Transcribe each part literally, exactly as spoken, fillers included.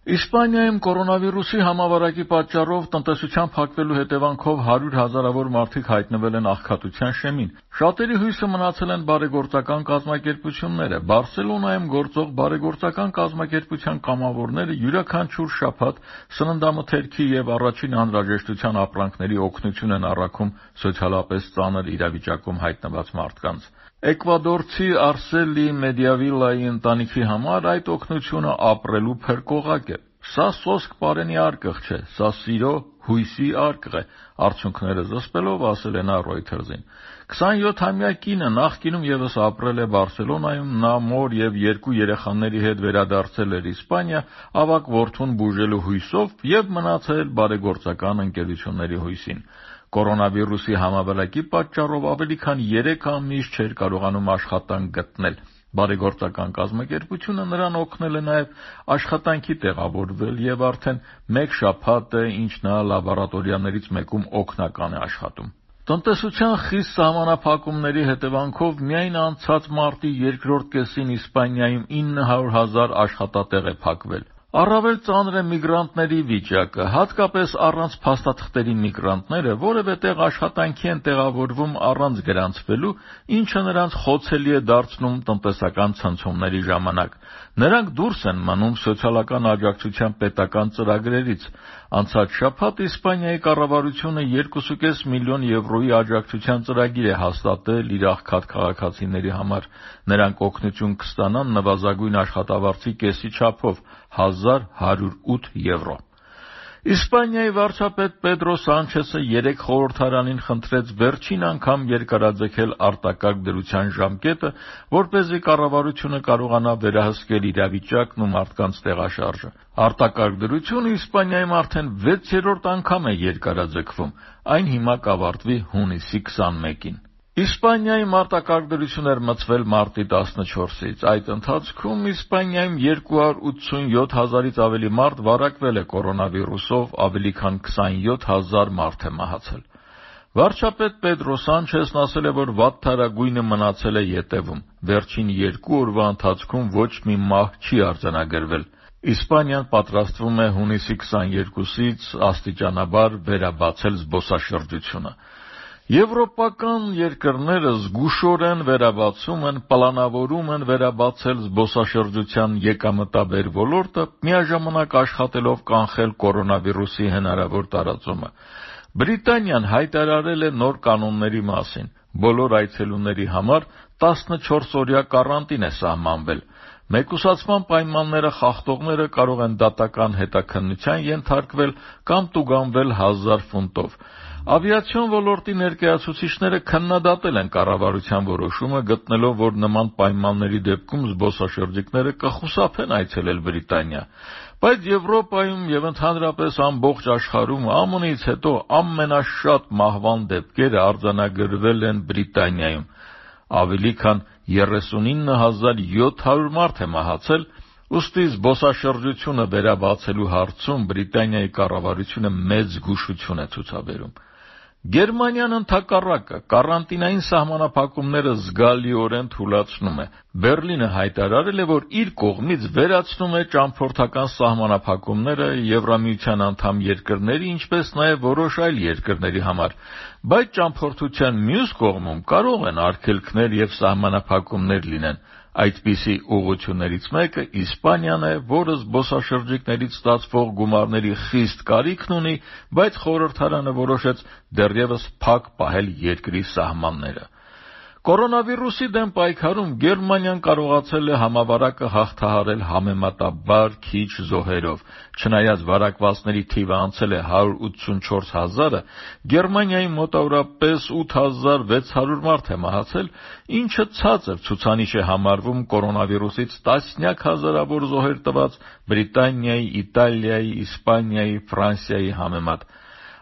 Իսպանիայում կորոնավիրուսի համավարակի պատճառով տնտեսության փակվելու հետևանքով հարյուր հազարավոր մարդիկ հայտնվել են աղքատության շեմին։ Շատերի հույսը մնացել են բարեգործական կազմակերպությունները։ Բարսելոնայում գործող բարեգործական կազմակերպության կամավորները յուրաքանչյուր շաբաթ սննդամթերքի եւ առաջին անհրաժեշտության ապրանքների օգնություն են առաքում սոցիալապես ծանր իրավիճակում հայտնված մարդկանց։ Էկվադորցի Արսելի Մեդիավիլայի ընտանիքի համար այդ օգնությունը ապրելու փրկողակ է։ Սա սոսկ պարենի արկղ չէ, սա սիրո, հույսի արկղ է, արդյունքները զսպելով ասել է նա Reuters-ին։ քսանյոթամյա կինը նախկինում եւս ապրել է Բարսելոնայում, նա մոր եւ երկու երեխաների հետ վերադարձել էր Իսպանիա, ավագ որդուն բուժելու հույսով եւ մնացել բարեգործական ընկերությունների հույսին։ Կորոնավիրուսի համավարակի պատճառով ավելի քան երեք ամիս չէր կարողանում աշխատանք գտնել։ Բարեգործական կազմակերպությունը նրան օգնել է նաև աշխատանքի տեղավորվել եւ արդեն մեկ շաբաթ է, ինչ նա լաբորատորիաներից մեկում օգնական է աշխատում։ Տնտեսության խիստ սահմանափակումների հետևանքով միայն անցած մարտի երկրորդ կեսին Իսպանիայում ինը հարյուր հազար աշխատատեղ է փակվել։ Առավել ծանր է միգրանտների վիճակը, հատկապես առանց փաստաթղթերի միգրանտները որևէ տեղ աշխատանքի են տեղավորվում առանց գրանցվելու, ինչը նրանց խոցելի է դարձնում տնտեսական ցնցումների ժամանակ։ Նրանք դուրս են մնում սոցիալական աջակցության պետական ծրագրերից։ Անցած շաբաթ Իսպանիայի կառավարությունը երկու կόμμα պենս միլիոն եվրոյի աջակցության ծրագիր է հաստատել իր աղքատ քաղաքացիների համար։ Նրանք օգնություն կստանան նվազագույն աշխատավարձի կեսի չափով հազար հարյուր ութ եվրո։ Իսպանիայի վարչապետ Պեդրո Սանչեսը երեկ խորհրդարանին խնդրեց վերջին անգամ երկարաձգել արտակարգ դրության ժամկետը, որպեսզի կառավարությունը կարողանա վերահսկել իրավիճակն ու մարդկանց տեղաշարժը։ Արտակարգ դրությունը Իսպանիայում արդեն վեցերորդ անգամ է երկարաձգվում, այն հիմա կավարտվի հունիսի քսանմեկին։ Իսպանիայում արտակարգ դրություն էր մտցվել մարտի տասնչորսից։ Այդ ընթացքում Իսպանիայում երկու հարյուր ութսունյոթ հազարից ավելի մարդ վարակվել է կորոնավիրուսով, ավելի քան քսանյոթ հազար մարդ է մահացել։ Վարչապետ Պեդրո Սանչեսն ասել է, որ վատթարագույնը մնացել է ետևում։ Վերջին երկու օրվա ընթացքում ոչ մի մահ չի արձանագրվել։ Իսպանիան պատրաստվում է հունիսի քսաներկուսից աստիճանաբար վերաբացել զբոսաշրջությունը։ Եվրոպական երկրները զգուշորեն վերաբացում են, պլանավորում են վերաբացել զբոսաշրջության եկամտաբեր ոլորտը, միաժամանակ աշխատելով կանխել կորոնավիրուսի հնարավոր տարածումը։ Բրիտանիան հայտարարել է նոր կանոնների մասին։ Բոլոր այցելուների համար տասնչորսօրյա կարանտին է սահմանվել։ Մեկուսացման պայմանները խախտողները կարող են դատական հետաքննության ենթարկվել կամ տուգանվել հազար ֆունտով։ Ավիացիոն ոլորտի ներկայացուցիչները քննադատել են կառավարության որոշումը, գտնելով, որ նման պայմանների դեպքում զբոսաշրջիկները կխուսափեն այցելել Բրիտանիա։ Բայց Եվրոպայում եւ ընդհանրապես ամբողջ աշխարհում ԱՄՆ-ից հետո ամենաշատ մահվան դեպքերը արձանագրվել են Բրիտանիայում։ Ավելի քան երեսունինը հազար յոթ հարյուր մարդ է մահացել, ուստի զբոսաշրջությունը վերաբացելու հարցում Բրիտանիայի կառավարությունը մեծ զգուշություն է ցուցաբերում։ Գերմանիան ընդհակառակը կարանտինային սահմանափակումները զգալիորեն թուլացնում է։ Բերլինը հայտարարել է, որ իր կողմից վերացնում է ճամփորդական սահմանափակումները Եվրամիության անդամ երկրների, ինչպես նաև որոշ այլ երկրների համար, բայց ճամփորդության մյուս կողմում կարող են արգելքներ եւ սահմանափակումներ լինեն։ Այդպիսի ուղղություններից մեկը Իսպանիան է, որը զբոսաշրջիկներից ստացվող գումարների խիստ կարիքն ունի, բայց խորհրդարանը որոշեց դեռևս փակ պահել երկրի սահմանները։ Կորոնավիրուսի դեմ պայքարում Գերմանիան կարողացել է համավարակը հաղթահարել համեմատաբար քիչ զոհերով։ Չնայած վարակվածների թիվը անցել է հարյուր ութսունչորս հազարը, Գերմանիայի մոտավորապես ութ հազար վեց հարյուր մարդ է մահացել, ինչը ցածր ցուցանիշ է համարվում կորոնավիրուսից տասնյակ հազարավոր զոհեր տված Բրիտանիայի, Իտալիայի, Իսպանիայի, Ֆրանսիայի համեմատ։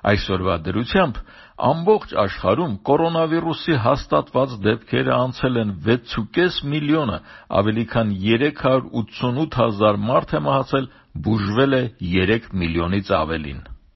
Այսօրվա դրությամբ ամբողջ աշխարհում կորոնավիրուսի հաստատված դեպքերը անցել են վեց կόμμα պենս միլիոնը, ավելի քան երեք հարյուր ութսունութ հազար մարդ է մահացել, բուժվել է երեք միլիոնից ավելին։